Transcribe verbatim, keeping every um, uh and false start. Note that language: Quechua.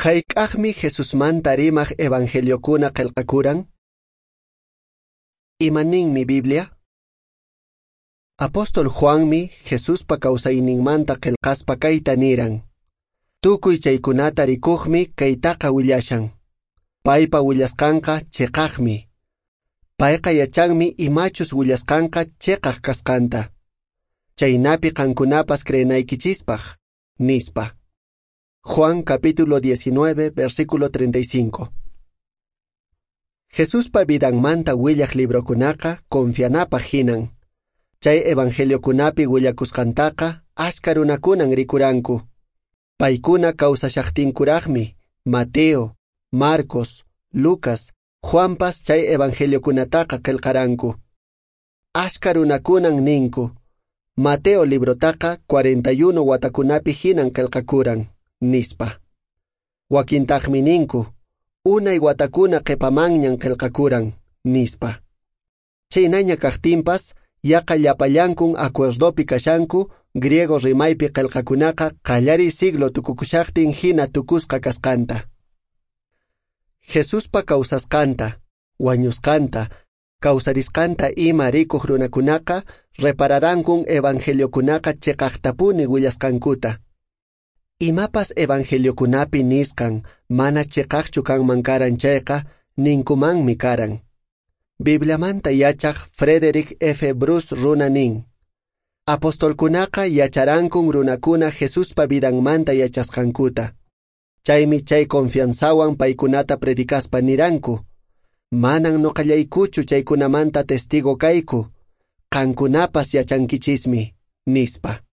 Hayk'aqmi Jesusmanta rimaq evangeliokuna qillqakuran? Imaninmi Biblia? Apóstol Juanmi Jesuspa kawsayninmanta qillqaspa kayta niran. Tukuy chaykunata rikuqmi kaytaqa willashan. Paypa willasqanqa chiqaqmi. Payqa yachanmi imachus willasqanqa chiqaq kasqanta. Chaynapi qankunapas creenaykichispaq, nispa. Juan capítulo diecinueve, versículo treinta y cinco. Jesuspa vidanmanta willaq librokunaqa confianapaq hinan. Chay evangeliokunapi willakusqantaqa achka runakunan rikuranku. Paykuna kawsashaqtinkuraqmi Mateo, Marcos, Lucas, Juanpas chay evangeliokunataqa qillqaranku. Achka runakunan ninku, Mateo librotaqa cuarenta y uno watakunapi hinan qillqakuran, nispa. Wakintaqmi ninku, unay watakuna qhipamanñan qillqakuran, nispa. Chaynaña kaqtinpas, yaqa llapallankun acuerdopi kashanku griego rimaypi qillqakunaqa qallariy siglo tukukushaqtin hina tukusqa kasqanta. Jesuspa kawsasqanta, wañusqanta, kawsarisqanta ima rikuq runakunaqa repararankun evangeliokunaqa chiqaqtapuni willasqankuta. Imapas evangeliokunapi nisqan mana chiqaqchu kanman karan chayqa ninkumanmi karan. Bibliamanta yachaq Frederick F. Bruce runa nin. Apostolkunaqa yacharankun runakuna Jesuspa vidanmanta yachasqankuta. Chaymi chay confianzawan paykunata predicaspa niranku. Manan noqallaykuchu chaykunamanta testigo kayku. Qankunapas yachankichismi, nispa.